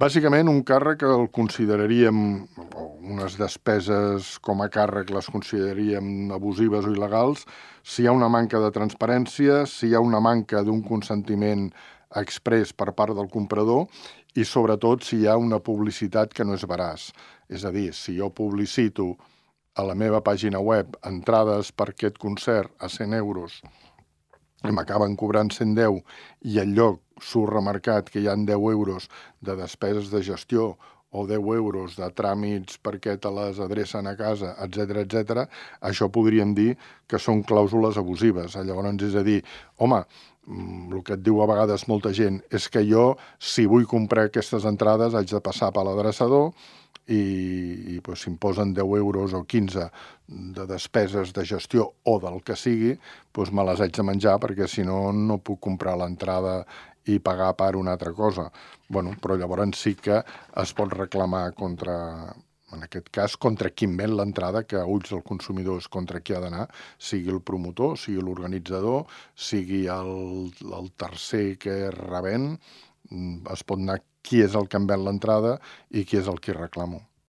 Bàsicament, un càrrec el consideraríem, o unes despeses com a càrrec les consideraríem abusives o il·legals, si hi ha una manca de transparència, si hi ha una manca d'un consentiment exprés per part del comprador i, sobretot, si hi ha una publicitat que no és veraç. És a dir, si jo publicito a la meva pàgina web entrades per aquest concert a 100 euros i m'acaben cobrant 110 i al lloc surt remarcat que hi ha 10 euros de despeses de gestió o 10 euros de tràmits perquè te les adrecen a casa, etc, això podríem dir que són clàusules abusives. Llavors, és a dir, home, el que et diu a vegades molta gent és que jo, si vull comprar aquestes entrades, haig de passar per l'adreçador i si em posen 10 euros o 15 de despeses de gestió o del que sigui, me les haig de menjar perquè si no, no puc comprar l'entrada i pagar per una altra cosa. Però llavors sí que es pot reclamar en aquest cas, contra qui ven l'entrada, que a ulls del consumidor és contra qui ha d'anar, sigui el promotor, sigui l'organitzador, sigui el tercer que rebent, es pot anar qui és el que em ven l'entrada i qui és el que reclamo.